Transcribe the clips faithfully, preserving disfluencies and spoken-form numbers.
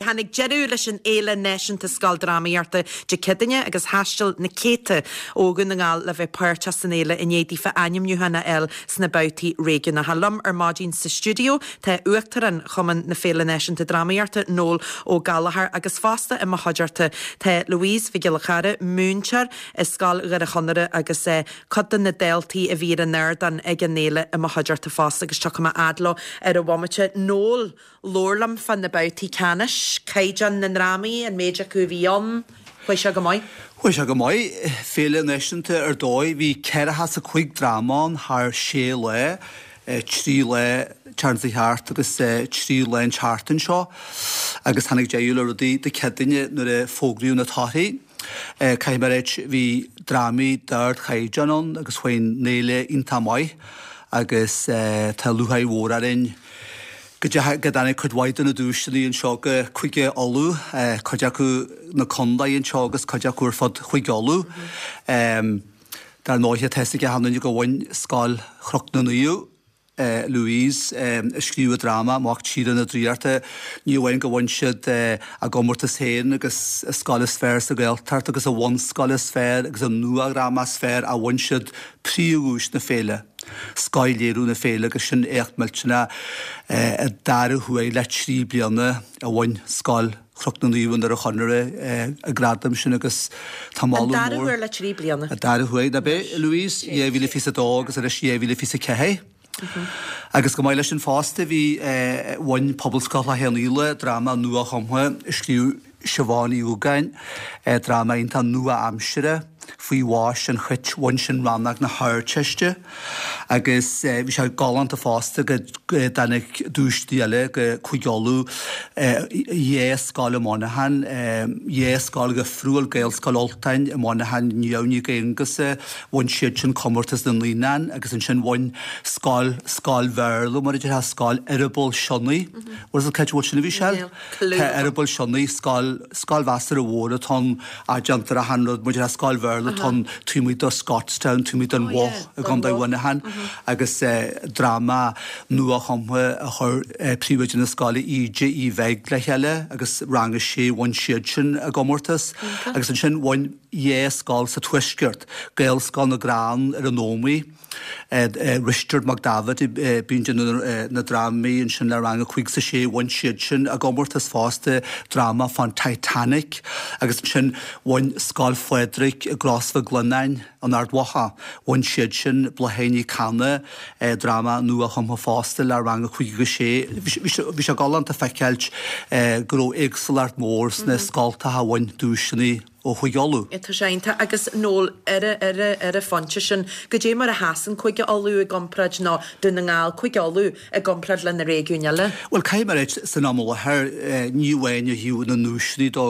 Tháinig deireadh leis an Fhéile Náisiúnta Scoildrámaíochta Dé Céadaoine agus thaistil na céadta ó Dhún na nGall le bheith páirteach san fhéile i ndiaidh daofa ainmniúchán a fháil sna babhtaí réigiúnacha. Liom ar maidin sa stiúideo tá Uachtarán Chumann na Féile Náisiúnta Drámaíochta Noel Ó Gallchóir agus fosta i mo chuideachta tá Louise Mhic Giolla Chara múinteoir i Scoil Dhoire Chonaire agus eh, cuid de na daltaí a bhí ar an ardán ag an fhéile i mo chuideachta fosta agus tiocfaidh mé fhad leo ar an bhomaite. Noel labhair liom fá na babhtaí ceannais, caighdeán na ndrámaí an méid acu a bhí ann, Chuaigh sé go maith. Chuaigh sé go maith féile náisiúnta ar dóigh bhí ceathracha is a cúig dráma ann thar sé lá trí lá an thart agus trí lá an tseachtain seo agus tháinig deireadh le rudaí Dé Céadaoine nuair a fógraíodh na torthaí. Caithfidh mé a ráit bhí drámaí d'ardchaighdeán ann agus chuaigh an fhéile iontach maith agus tá lúcháir mhór orainn go go dtáinig cuid mhaith de na duaiseanna anseo go Cúige Uladh, cuid acu na contaetha anseo agus cuid acu ar fud Chúige Uladh. Dar ndóigh tá a fhios ag achan duine go bhain Scoil Chnoc na Naomh Louise a scríobh dráma Mac Tíre na Draíochta, ní amháin go bhain siad a gcomórtas féin agus a scoil is fearr sa Ghaeltacht agus a bhunscoil is fearr agus a nuadhráma is fearr a bhain siad príomhdhuais na féile. Scothléiriú na féile agus sin éacht millteanach an dara huair le trí bliana a bhain Scoil Chnoc na Naomh i nDoire Chonaire an gradam sin agus tá moladh mór. An dara huair le trí bliana. An dara huair na bé Louise dhá mhíle fiche dó agus arís dhá mhíle fiche ceathair. Agus go maith leis an fosta bhí bhain Pobalscoil Chloich Cheann Fhaola dráma nua-chumtha a scríobh Siobhán Ní Dhúgáin, dráma iontach nua-aimsire faoi bháis an chait bhain sin rannóg na hArdteiste agus bhí sé galánta fosta go dtáinig duaiseanna eile go Cúige Uladh dhá scoil i Monaghan, dhá scoil dhifriúil Gaelscoil Ultain i Monaghan Niamh Nic Aonghusa bhain siad sin comórtas na naíonán agus ansin bhain scoil scoil Bhéarla mar a déarfá Scoil Eireaball Sionnaigh. Bhfuil a fhios agat sin a bhí sé? Tá Eireaball Sionnaigh scoil scoil mheasartha mhór atá ann a déantar achan rud mar a déarfá scoil Bhéarla atá ann taobh amuigh de Scotstown taobh amuigh den Bhoth i gContae Mhuineacháin agus dráma nua-chumtha a chuir príomhoide na scoile Íde Uí Bheig le chéile agus rang a sé bhain siad sin a gcomórtas agus ansin bhain dhá scoil sa tuaisceart, Gaelscoil na gCrann ar an Ómaigh, Risteard Mac David bíonn déanamh na drámaí ansin le rang a cúig is a sé bhain siad sin a gcomórtas fosta dráma fán Titanic agus ansin bhain Scoil Phádraig i gCros Mhic Lionnáin in Ard Mhacha bhain siad sin Bláthnaid Ní Cana dráma nua-chumtha fosta le rang a cúig agus sé. Bhí sé galánta feiceáilt go raibh éagsúlacht mhór sna scoltacha a bhain duaiseanna ó Chúige Uladh. Tá sé iontach agus Noel ar ar ar an phointe sin, goidé mar a sheasann Cúige Uladh i gcomparáid nó Dún na nGall Cúige Uladh i gcomparáid le na réigiúin eile. Well caithfidh mé a ráit san am i láthair ní amháin ó thaobh na nduaiseanna dó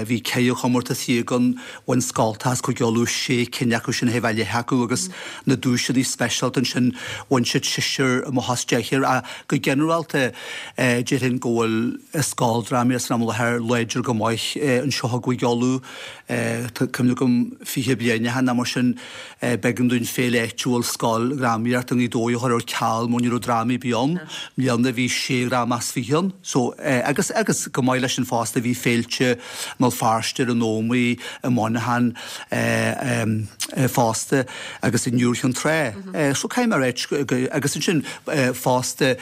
bhí ceithre chomórtas déag ann bhain scoltacha as Cúige Uladh sé cinn acu sin thaobh leith acu agus na duaiseanna speisialta ansin bhain siad seisear amach as deichniúr ach go ginearálta déarfainn go bhfuil scoildrámaí san am i láthair láidir go maith anseo i gCúige Uladh Tá cuimhne agam fiche bliain ó shin nó mar sin b'éigean dúinn féile áitiúil scoildrámaíochta i nGaoth Dobhair a chur ar ceal mar ní raibh drámaí ar bith ann. I mbliana bhí sé dhráma as fiche ann. So agus agus go maith leis sin fosta bhí féilte i mBéal Feirste ar an Ómaigh i Monaghan fosta agus i nIúr Chinn Trá. So caithfidh mé a ráit agus ansin fosta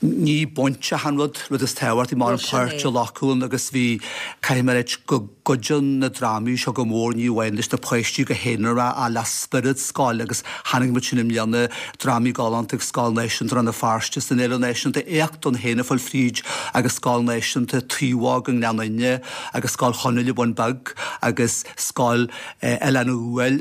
ní bainteach an rud rud is tábhachtaí mar an páirt a ghlacadh ann agus bhí caithfidh mé a ráit go gcuidíonn na drámaí seo go mór ní amháin leis na páistí go haonarach ach le spiorad scoile agus chonaic muid sin i mbliana drámaí galánta ag Scoil Náisiúnta Rann na Feirste san Fhéile Náisiúnta éacht ann féin a fáil fríd agus Scoil Náisiúnta Taobhóg i nGleann Fhinne agus Scoil Chonaill i Bun Beag agus Scoil Oileán an Ghuail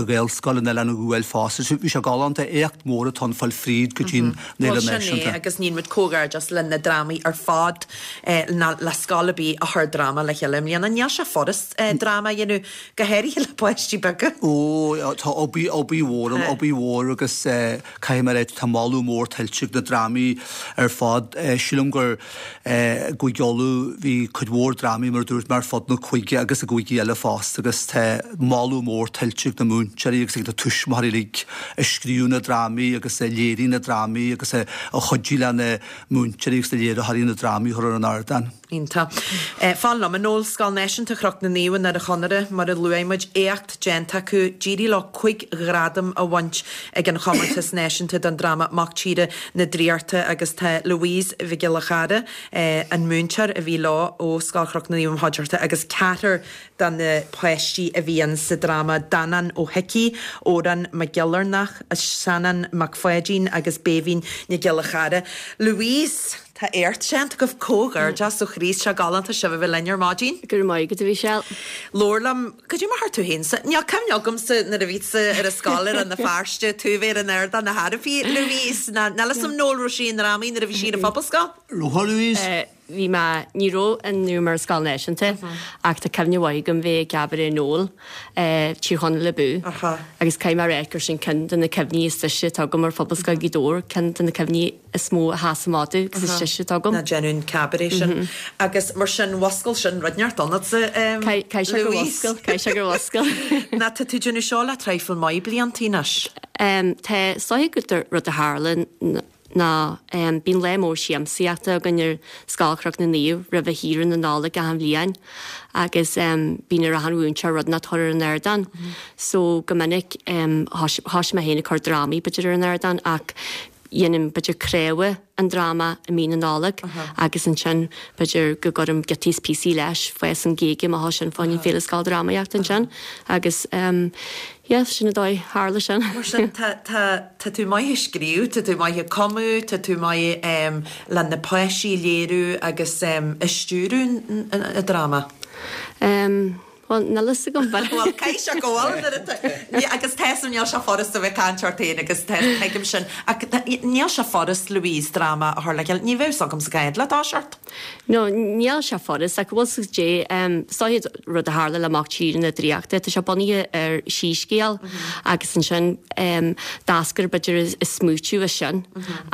Ghaelscoil in Oileán an Ghuail fosta. Bhí sé galánta éacht mór atá ann fáil fríd go dtí'n Fhéile Bhuel sin é Náisiúnta. agus níl muid comhghairdeas le na drámaí ar fad ná le scoil ar bith a chuir dráma le chéile i mbliana. Níl sé furast dráma a dhéanamh, go háirithe le páistí beaga. Ó, tá obair, obair mhór ann, obair mhór agus caithfidh mé a ráit, tá moladh mór tuillte ag na drámaí ar fad. Sílim gur i gCúige Uladh bhí cuid mhór drámaí mar a dúirt mé ar fud na cúige agus i gcúigí eile fosta agus tá moladh mór tuillte ag na múinteoirí agus ag na tuismitheoirí uilig a scríobh na drámaí agus a léirigh na drámaí agus a chuidigh le na múinteoirí agus na léiritheoirí na drámaí a chur ar an ardán. Iontach. Fan liom, a Noel, Scoil Náisiúnta Chnoc na Naomh i nDoire Chonaire, mar a luaigh muid, éacht déanta acu, d'éirigh leo cúig ghradam a bhaint ag an chomórtas náisiúnta don dráma Mac Tíre na Draíochta agus tá Louise Mhic Giolla Chara, an múinteoir a bhí leo ó Scoil Chnoc na Naomh i Maigh Cuilinn agus ceathrar de na páistí a bhí in sa dráma, Danán Ó hIcí, Odhrán Mac Giollarnáth, Seanán Mac Pháidín agus Béibhinn Nic Giolla Chara. Louise! Tá éacht déanta agaibh, comhghairdeas ó chroí, tá sé galánta sibh a bheith linn ar maidin. Go raibh maith agat a Mhichelle. Labhair liom, cad é mar thar tú féin sa, níl cuimhne agamsa nuair a bhí tusa ar an scoil i Rann na Feirste, tú a bheith ar an ardán ar chor ar bith, Louise, ná níl 'fhios a'm Noel raibh sí i ndrámaí nuair a bhí sí ar an phobalscoil? Raibh Louise? Bhí mé, ní raibh an nuair mar scoil náisiúnta ach tá cuimhne mhaith agam bheith ag cabaret Noel, Tír Chonaill Abú. Agus caithfidh mé a rá gur sin ceann de na cuimhní is deise atá agam ar Phobalscoil Ghaoth Dobhair, ceann de na cuimhní is mó a sheas amach domh agus is deise atá agam. Ná déanamh an cabaret sin. Agus mar sin mhuscail sin rud inteacht ionatsa, Caithfidh sé gur mhuscail, caithfidh sé gur mhuscail. Ná tá tú ag déanamh seo le traidhfil maith bliantaí anois? Tá, is dóigh gur rud a tharla ná bíonn lá mór siamsaíochta againn ar Scoil Chnoc na Naomh roimh shaoire na Nollag achan bhliain agus bíonn ar achan mhúinteoir rud inteacht a chur ar an ardán. So go minic thosaigh mé féin ag cur drámaí b'fhéidir ar an ardán ach dhéanaim b'fhéidir craobha an dráma i mí na Nollag agus ansin b'fhéidir go gcuirim giotaí is píosaí leis fás an Ghaeilge má sin fáin féile scoildrámaíochta ansin agus yeah, sin an dóigh tharla sin. Mar sin tá tá tá tú maith ag scríobh, tá tú maith ag cumadh, tá tú maith um, le na páistí a léiriú agus um, a stiúradh an dráma. Um, Well, níl fhios agam Well, caithfidh sé go bhfuil nuair atá- Ní- agus tá 'fhios a'm níl sé furast a bheith caint ort féin agus tá- tuigim sin. Ach tá- níl sé furast Louise dráma a chur le chéile. Ní bheadh 'fhios agamsa cá fhad le toiseacht. No, níl sé furast ach bhfuil dé um, sáid rud a tharla le Mac Tíre na Draíochta, tá sé bunaithe ar síscéal agus ansin um, d'eascair b'fhéidir is smaoitiú as sin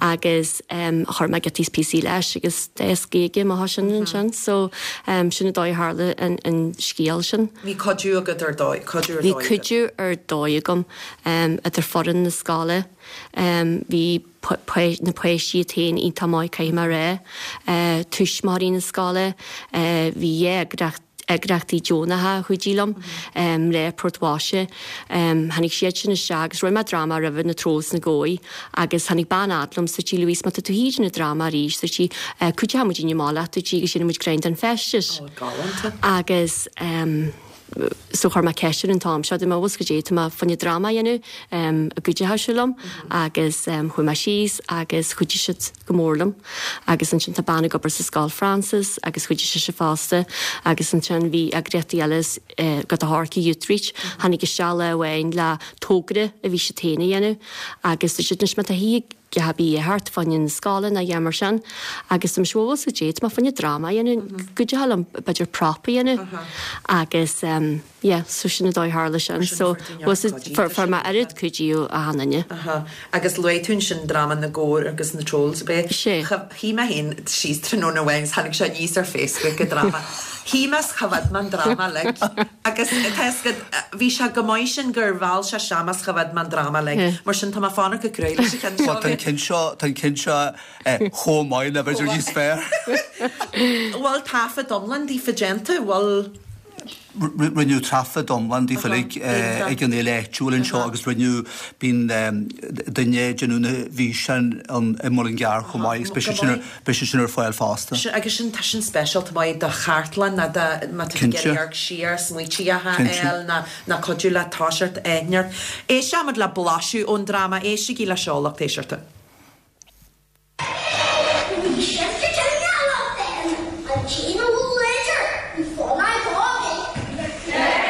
agus um, chuir mé giotaí is píosaí leis agus d'fhás Gaeilge má sin ansin, so um, sin an dóigh a tharla an, an scéal sin. Bhí cuidiú agat ar dóigh, cuidiú ar Bhí dóigh agat. cuidiú ar dóigh agam um, idir foireann na scoile, um, bhí na páistí iad féin iontach maith caithfidh mé a rá, uh, tuismitheoirí na scoile, uh, bhí eagraíocht eagraíochtaí deonacha a chuidigh liom um, le Port Mhaise. Um, tháinig siad sin isteach agus rinne mé dráma roimhe na Trolls na Gcóí agus tháinig bean fhad liom sa tí Louise má tá tú híd na dráma arís sa tí uh, cuideoidh muid má tú tí agus sin muid grein den feisteas. Ó, galánta. Agus um, so chuir mé ceist an t-am seo má go dé má fanne drama dhéanamh um, a gcuideoidh sibh liom agus um, chuaigh mé síos agus chuidigh siad go mór liom agus ansin tá bean ag obair sa scoil Francis agus chuidigh sí fosta agus ansin bhí eagraíochtaí eile uh, go a Harky Youthreach tháinig isteach le amháin le togra a bhí sé féin a dhéanamh agus siad me a hí bí thart fann scoile na dhémar sin agus am seo sa dé má fanne drama dhéanamh cuideoidh liom b'fhéidir prop a dhéanamh agus um, yeah, so sin an dóigh tharla sin so was for for ma oiread cuidiú a hanaine. Aha. Agus luaigh tú sin dráma na gcór agus na Trolls bé. Sé. Shuigh mé féin síos tráthnóna amháin tháinig sé aníos ar Facebook an dráma. Shuigh mé is choimhéad mé an dráma like. Agus tá bhí sé go maith sin gur bhal sé seamas choimhéad mé an dráma like. Yeah. Mar sin tá mé fánach go cruaidh leis an cheann seo. Tá an ceann seo tá an ceann seo eh, chomh maith le b'fhéidir níos fearr. Bhfuil taifead iomlán daofa déanta, bhfuil Rinneadh taifead iomlán daofa ag ag an fhéile áitiúil anseo agus rinneadh bíonn duine ag déanamh na bhfíseán an i Mullingar chomh maith agus beidh sé sin ar- beidh sé sin ar fáil fosta. Sin- agus sin tá sin speisialta maith do chartlann ná do má tá Cinnte. ag amharc siar smaointe a Cinnte. fháil ná ná cuidiú le toiseacht éineart. Éisteoimid le blaiseadh ón dráma éistigí le seo lucht éisteachta. Bhí an tí leidir bhí fána gáig.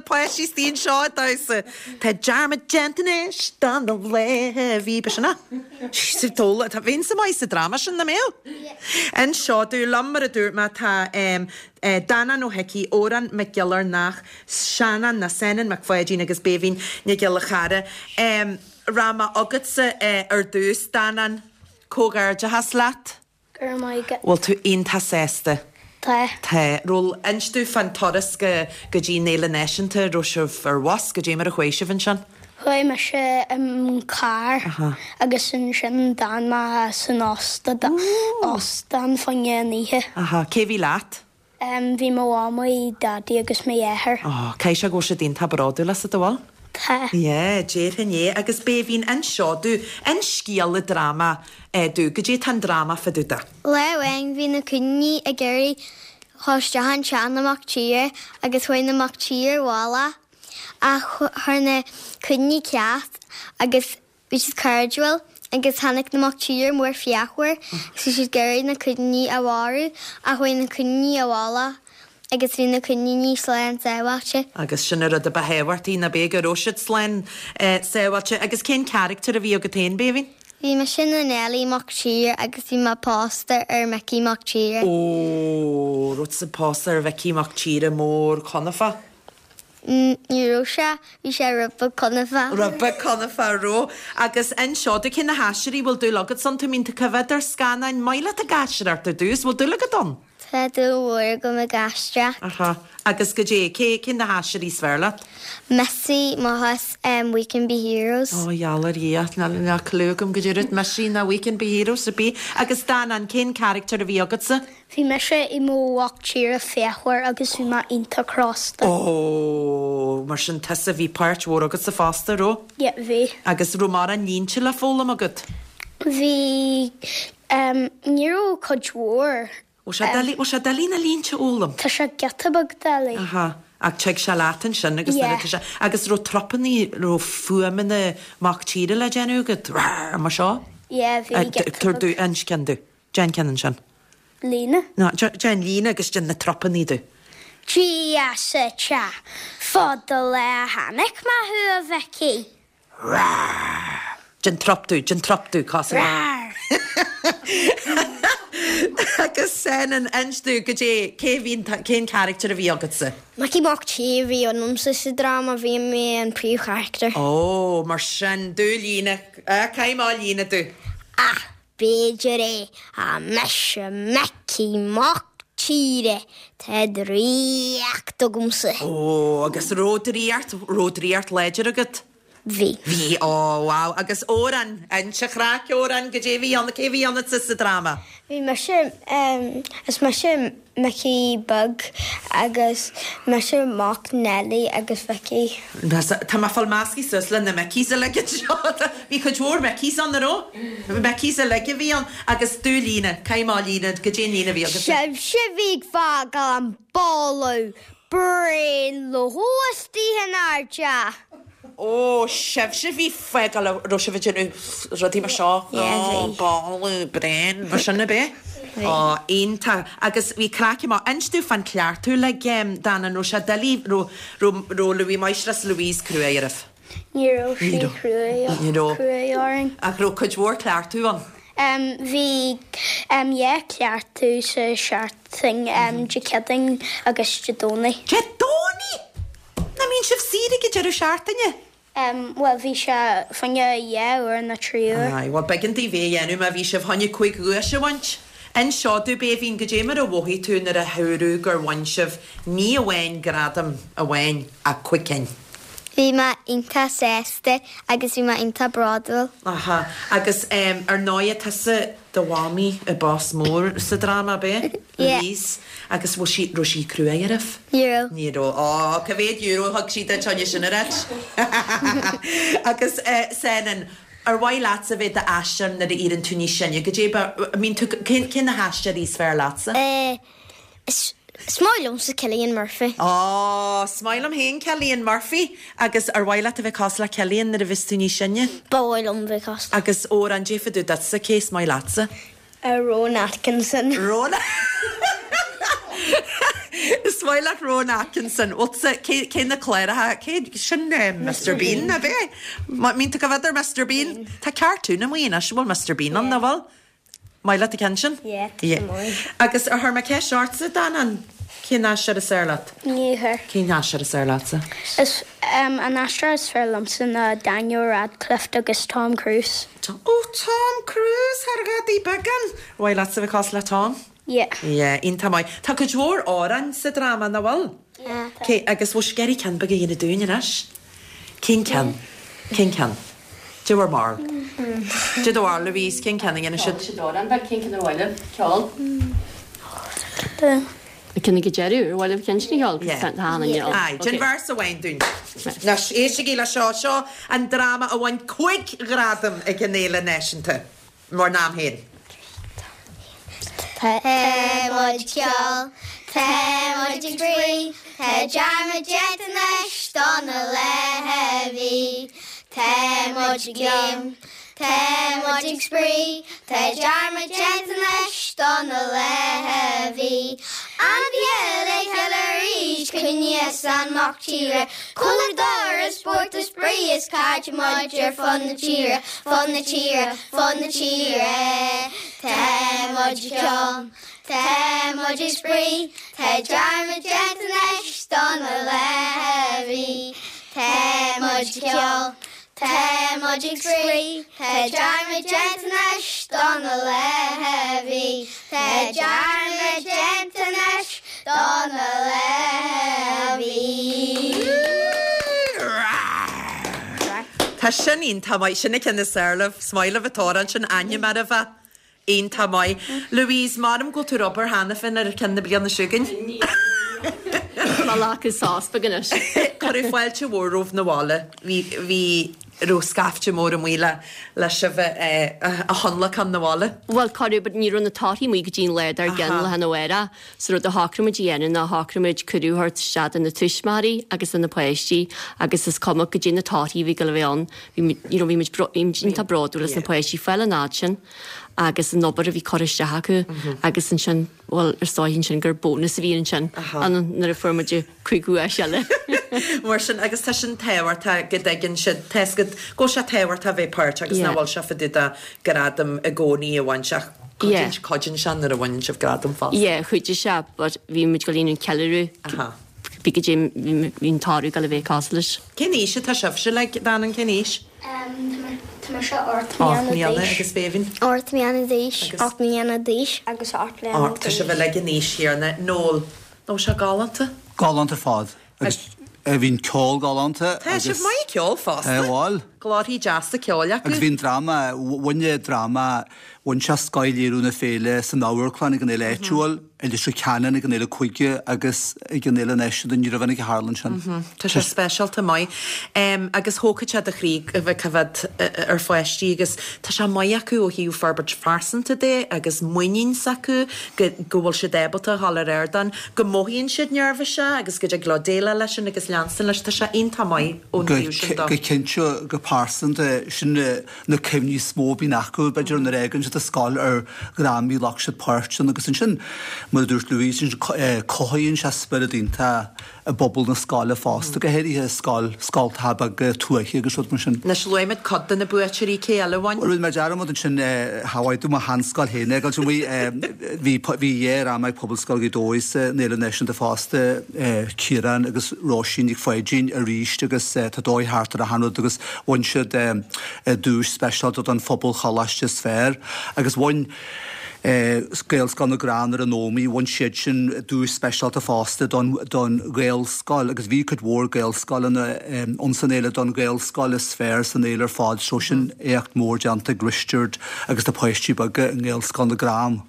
páistí istigh anseo ag damhsa. Tá dearmad déanta anois de na laethe a bhí, b'shin é? Sa tóla, tá bheinnse maith sa dráma sin, nach mbeadh? Anseo domh liom mar a dúirt mé tá Danán Ó hIcí, Odhrán Mac Giollarnáth, Seanán nó Senan Mac Pháidín agus Béibhinn Nic Giolla Chara. Rachaidh mé chugatsa ar dtús, Danán, comhghairdeachas leat. Go raibh maith agat. Bhfuil tú iontach sásta? Tá. Tá. Raibh, inis domh fán turas go go dtí an Fhéile Náisiúnta, raibh sibh ar bhus, goidé mar a chuaigh sibh ansin? Chuaigh mise i carr agus ansin d'fhan mé san óstán fá choinne an oíche. Aha, cé bhí leat? Bhí mo mhamaí, daidí agus mo dheartháir. Oh, caithfidh sé go bhfuil siad iontach bródúil asat, an bhfuil? Tá. Yeah, déarfainn é. Agus Béibhinn, inis seo domh, inis scéal an dráma domh, goidé tá an dráma fá dtaobh de? Lá amháin bhí na coiníní ag iarraidh dhul isteach in teach na mac tíre agus chuaigh na mac tíre abhaile ach chuir na coiníní ceacht agus bhí siad cairdiúil agus tháinig na mac tíre mór fíochmhar agus bhí siad ag iarraidh na coiníní a mharú ach chuaigh na coiníní abhaile agus bhí na coiníní slán sábháilte. Agus sin an rud a ba thábhachtaí, nach b'é go raibh siad slán sábháilte. Agus cén carachtar a bhí agat féin, Béibhinn? Bhí mise ina Neilí Mac Tíre agus bhí mé pósta ar Micí Mac Tíre. Ó, raibh tusa pósta ar Mhicí Mac Tíre mór conafa? Ní raibh sé, bhí sé rud beag conafa. Rud beag conafa, raibh. Agus inis seo domh, cé na haisteoirí bhfuil dúil agat iontu, mbíonn tú ag coimhéad ar scannáin, maith leat ag aisteoireacht ar dtús, bhfuil dúil agat ann? Tá dúil mhór agam ag aisteoireacht. Aha. Agus goidé, cé, cé na haisteoirí is fearr leat? Missy, Machas, um, We Can Be Heroes. Ó, gheall ar Dhia, níl, níl clue agam goidé rud Missy ná We Can Be Heroes ar bith. Agus Danán, cén character a bhí agatsa? Bhí mise i mo mhac tíre fíochmhar agus bhí mé iontach crosta. Ó, mar sin tusa bhí páirt mhór agatsa fosta, raibh? Yeah, bhí. Agus raibh mórán línte le foghlaim agat? Bhí, um, ní raibh cuid mhór. Bhfuil sé doiligh, bhfuil sé doiligh na línte a fhoghlaim? Tá sé giota beag doiligh. Aha. Ach tig sé leat ansin agus nuair Yeah. atá sé, agus raibh trupannaí, raibh fuaimeanna mac tíre le déanamh agat? Rrrr, mar seo? Yeah, bhí Eh, giota Tabhair beag. domh, inis ceann domh. Déan ceann ansin. Líne? No, déan líne agus déan na trupannaí domh. Dia sa teach, fada le chonaic mé thú a Mhicí. Rrrr. Déan trup domh, déan trup domh, cos. Rrrr. Agus Senan, inis domh goidé, cé bhíonn, cén character a bhí agatsa? Micí Mac Tíre a bhí ionamsa sa dráma, bhí mé an príomhcharachtar. Ó, mar sin, do líne, caithfidh mé líne domh. Ach b'fhéidir é, ach mise Micí Mac Tíre, tá draíocht agamsa. Ó, agus raibh draíocht, raibh draíocht láidir agat? Bhí. Bhí, ó, wow. Agus Odhrán, inis an chraic, Odhrán, goidé bhí ann, cé bhí ionatsa sa dráma? Bhí mise, is mise Micí Beag agus mise mac Nelly agus Vicky. Tá mé ag fáil measctha suas le na Mickeys uilig anseo. Bhí cuid mhór Mickeys ann, an raibh? Mickeys uilig a bhí ann. Agus do líne, caithfidh mé líne, goidé an líne a bhí agat? Sibhse a bhí ag fágáil an boladh bréan le istigh inár dteach. Ó, sibhse a bhí ag fágáil, raibh sibh ag déanamh rudaí mar seo? Yeah, Ó, bhí. boladh bréan, mar sin ab é? Bhí. Ó, iontach. Agus bhí craic amach. Inis domh fán cleachtadh le Dan, an raibh sé doiligh, raibh, raibh, raibh Louis Máistreás Louise cruaidh oraibh? Ní raibh sí Ní raibh. cruaidh, Ní raibh. cruaidh orainn. Ach raibh cuid mhór cleachtadh ann? Um, bhí um, yeah, cleachtadh sa seachtain um, Dé Céadaoin agus Dé Domhnaigh. Dé Domhnaigh? Nach mbíonn sibh saor ag an deireadh seachtaine? Um, well, bhí sé fá choinne dhá uair nó trí uair. Aye, well, b'éigean daoibh é a dhéanamh má bhí sibh chun cúig dhuais a bhaint. Inis seo domh Béibhinn goidé mar a mhothaigh tú nuair a dúradh gur bhain sibh ní amháin gradam amháin ach cúig cinn. Bhí mé iontach sásta agus bhí mé iontach bródúil. Aha, agus um, ar ndóigh tusa do mhamaí i bás mór sa dráma bé? Yeah. Louise. Agus bhfuil sí, raibh sí cruaidh oraibh? Ní raibh. Ní raibh. Ó, cá mhéad euro thug sí duit ina sin ar Agus uh, Senan, ar mhaith leatsa bheith i d'aisteoir nuair a éiríonn tú níos sine, goidé ba, I mean, tú, cén, cén na haisteoirí is fearr leatsa? Uh, is, is maith liomsa Cillian Murphy. Ó, is maith liom féin Cillian Murphy agus ar mhaith leat a bheith cosúil le Cillian nuair a bheas tú níos sine? Ba mhaith liom bheith cosúil. Agus Odhrán goidé fá dtaobh duitsa cé is maith leatsa? Uh, Rowan Atkinson. Rowan? Is maith leat Rowan Atkinson. Bhuel cé cé na cláracha cé sin eh, Mr Bean a bheith? Mín tú go bhfeidir Mr Bean? Tá cartún amuigh anois bhfuil Mr Bean ann nach bhfuil? Maith leat an ceann sin? Yeah, tá sé maith. Agus ar chuir mé ceist ortsa Dan cén aisteoir is fearr leat? Ní chuir. Cén aisteoir is fearr leatsa? Is um, an aisteoir is fearr liomsa ná Daniel Radcliffe agus Tom Cruise. Tom, oh Tom Cruise thar gadaí began. Mhaith leatsa bheith cosúil le Tom? Yeah. Yeah, iontach maith. Tá cuid mhór amhrán sa dráma nach bhfuil? Yeah. Cé agus bhfuil scéirí ceann beag a dhéanamh dúinn anois? Cén ceann? Cén ceann? Dé bhur mbarúil. Dé do bharúil Louise cén ceann a dhéanamh siad? Siad amhrán beag cén ceann ar mhaith libh ceol? The Cin go deireadh ar mhaith libh ceann sin a cheol? Yeah. Tá an Aye, Déan véarsa amháin dúinn. Anois éistigí le seo seo an dráma a bhain cúig ghradam ag an Fhéile Náisiúnta. Mar nám féin. Tá muid ag ceol, Tá muid ag spraoi, Tá dearmad déanta anois do na laetha a bhí. Tá muid ag léim, Tá muid ag spraoi, Tá dearmad déanta anois do na laetha a bhí. An bhfuil le chéile arís caoineadh is an mac tíre, Cúladar is spórt is spraoi is cairde muid ar fud na tíre, fud na tíre, fud na tíre. Tá muid ag ceol, Tá muid ag spraoi, Tá dearmad déanta anois do na laetha a bhí. Tá muid ag ceol, Tá muid ag spraoi, Tá dearmad déanta anois do na laetha a bhí. Tá dearmad déanta anois do na laetha a bhí. Tá sin iontach maith sin cin is airlah smaoileamh atá sin ainm mar a bheith iontach maith. Louise Maram go tú obair cheana féin ar ceann na bliana seo chugainn. Má lá sás beaganois. Cuireadh fáilte mhór romhaibh na bhaile. Bhí bhí raibh scaifte mór amuigh le le sibh a thionlacan na bhaile. Well cuireadh but ní raibh na torthaí amuigh go dtí an lá dár gcionn lá arna mhárach, so rud a shocraigh muid a dhéanamh ná shocraigh muid cuireadh a thabhairt isteach do na tuismitheoirí agus do na páistí agus is cuma go dtí na torthaí bhí go bheith ann bhí you know, bhí muid bro- bhí muid iontach bródúil as na páistí fáil an fhad sin agus an obair a bhí curtha isteach acu agus ansin well ar stóigh sin gur bónas a bhí ansin an nuair a fuair muid cúig dhuais eile. Mar sin agus tá sin tábhachtach go dtuigeann siad tá go go sé tábhachtach bheith páirteach agus Yeah. nach bhfuil sé fá dtaobh de gradam i gcónaí a bhain seach Yeah. cuidíonn sé nuair a bhaineann sibh gradam fosta. Yeah, chuidigh sé, but bhí muid go líon an ceiliúradh Aha. Bhí go dtí bhí an toradh go le bheith cosúil leis. Cén aois atá sibhse le Dan cén aois? Tá mise ocht Ocht mbliana mbliana d'aois. agus Béibhinn. Ocht mbliana d'aois. Agus- Ocht mbliana d'aois agus ocht mbliana Tá sibh uilig an aois chéanna Noel. Nó sé galánta? Galánta ar fad. Agus eh, bhí'n ceol galánta. Tá sibh maith ceol fosta. Bhil. Glórthaí deasa ceoil acu. Agus bhí'n dráma, bhain dráma, bhain sé scoth-léiriú na féile san amharclann ag an fhéile áitiúil, i Leitir Ceanainn ag an fhéile cúige agus ag an fhéile náisiúnta ní raibh ag tharla sin. Tá sé speisialta maith. Um, agus thógfadh sé do chroí a bheith coimhéad ar pháistí agus tá sé maith acu ó thaobh forbairt phearsanta de agus muinín s'acu go go bhfuil siad ábalta dhul ar ardán, go mothaíonn siad neirbhíseach agus go dtig leo déileáil leis sin agus leanstan leis tá sé iontach maith ón Go taobh sin go dó. cinnte go pearsanta sin na na cuimhní is mó a bhíonn acu b'fhéidir nuair a fhágann siad an scoil ar dhrámaí ghlac siad páirt ann agus ansin mar a dúirt Louise sin cothaíonn sé spiorad iontach i bpobal na scoile fosta go háirithe scoil scoltacha beaga tuaithe agus rud mar sin. Anois luaimid cuid de na buaiteoirí cé eile a bhain. Rinne mé dearmad ansin Hawaii do mo sheanscoil féin ag bhí bhí dráma ag Pobalscoil Ghaoth Dobhair san Fhéile Náisiúnta fosta Ciarán agus Róisín Nic Pháidín arís agus tá dóigh thart ar a hanrud agus bhain siad duais speisialta don Phobalcholáiste is fearr agus bhain Gaelscoil na gCrann ar an Ómaigh, bhain siad sin duais speisialta fosta don don Ghaelscoil agus bhí cuid mhór Gaelscoileanna ann san fhéile don Ghaelscoil is fearr san fhéile ar fad so sin éacht mór déanta ag Risteard agus na páistí beaga i nGaelscoil na gCrann.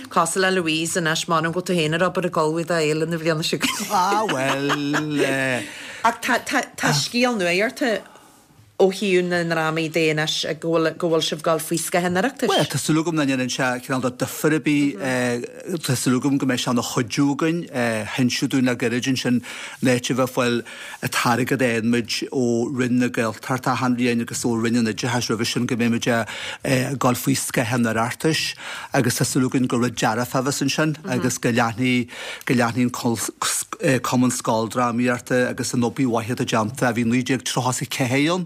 Cosúil le Louise anois mar go tú féin ar obair ag ullmhú d'fhéile na bliana seo. Ah well eh, Ach tá tá tá scéal nua orthu ó thaobh na ndrámaí de anois go bhfuil go bhfuil sibh ag dul faoi scáth an Oireachtais? Bhuel, tá súil agam nach ndéanann sé cineál de difear ar bith. Tá súil agam go mbeidh sé ina chuidiú againn. Chinn siad dúinn le gairid ansin an áit a bheith ag fáil an t-airgead a fhaigheann muid ó Roinn na Gaeltachta achan bhliain agus ó Roinn an Oideachais roimhe sin go mbeidh muid ag dul faoi scáth an Oireachtais agus tá súil againn gur rud dearfach a bheas ansin agus go leanfaidh go leanfaidh an Cumann Scoildrámaíochta agus an obair mhaith atá déanta a bhí naoi déag tríocha is a ceathair ann.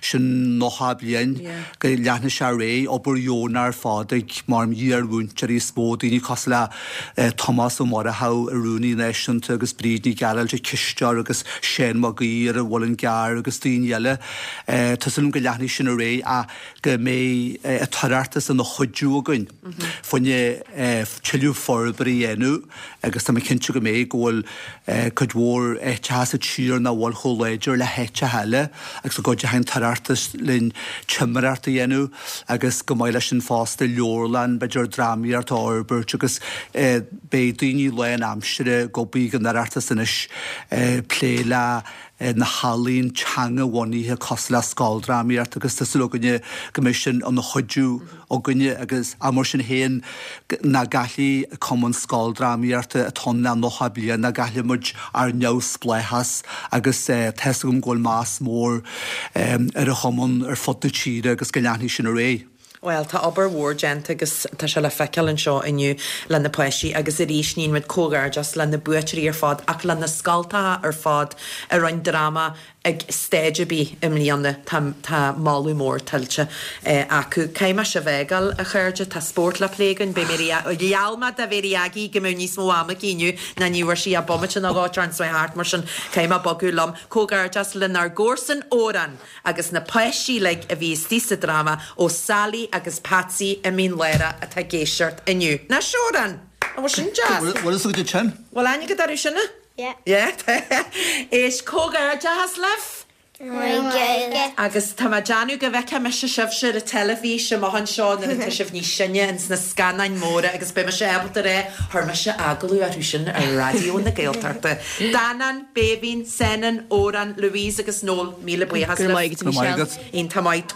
Sin nócha bliain go leanfaidh sé ar aghaidh, obair dheonach ar fad ag mar iar-mhúinteoirí is mó, daoine cosúil le Tomás Ó Murchú, an Rúnaí Náisiúnta agus Bríd Ní Ghearailt, an cisteoir agus Seán Mac Aoidh ar an Mhuileann gCearr agus daoine eile. Tá súil agam go leanfaidh sin ar aghaidh ach go mbeidh an tOireachtas ina chuidiú againn fá choinne tuilleadh forbartha a dhéanamh agus tá mé cinnte go mbeidh, go bhfuil cuid mhór áiteacha sa tír nach bhfuil chomh láidir le háiteacha eile agus go gcuideoidh an tOireachtas linn timireacht a dhéanamh agus go maith leis sin fosta leabharlann, b'fhéidir drámaíocht a fhorbairt agus beidh daoine lán-aimsire ag obair ag an Oireachtas anois plé le na healaín teanga-bhunaithe cosúil le scoildrámaíocht agus tá súil againne go mbeidh sin ina chuidiú againne agus ach mar sin féin nach gcaillfidh Cumann Scoildrámaíochta atá ann le nócha bliain, nach gcaillfidh muid ár neamhspleáchas agus tá fhios agam go bhfuil meas mór ar an chumann ar fud na tíre agus go leanfaidh sin ar aghaidh. Bhuel, tá obair mhór déanta agus tá sé le feiceáil anseo inniu le na páistí agus arís níonn muid comhghairdeas le na buaiteoirí ar fad ach le na scoltacha ar fad a rinn dráma ag stage ar bith i mbliana. Tá tá moladh mór tuillte acu. Caithfidh mé sibh a fhágáil, a chairde, tá spórt le plé againn. Beidh mé ar gheall mé do Mhary Aggie go mbeadh níos mó ama aici inniu ná ní bhfuair sí ach bomaite nó dhó tar anso thart mar sin caithfidh mé bogadh liom. Comhghairdeas lenár gcomharsan Odhrán agus na páistí uilig a bhí istigh sa dráma ó Sally agus Patsy i Mín Lárach atá ag éisteacht inniu. Anois Odhrán! An bhfuil sin deas? Bhfuil fhios agat sin? Bhfuil aithne agat orthu sin? Yeah. Yeah? Éist, comhghairdeachas libh! Agus tá mé ag déanamh go bhfeicfidh mise sibhse ar an teilifís amach anseo nuair atá sibh níos sine ins na scannáin mhóra agus beidh mise ábalta a rá chuir mise agallamh orthu sin ar Raidió na Gaeltachta. Danán, Béibhinn, Senan, Odhrán, Louise agus Noel, míle buíochas Go raibh maith libh. agat, Michelle. Iontach maith.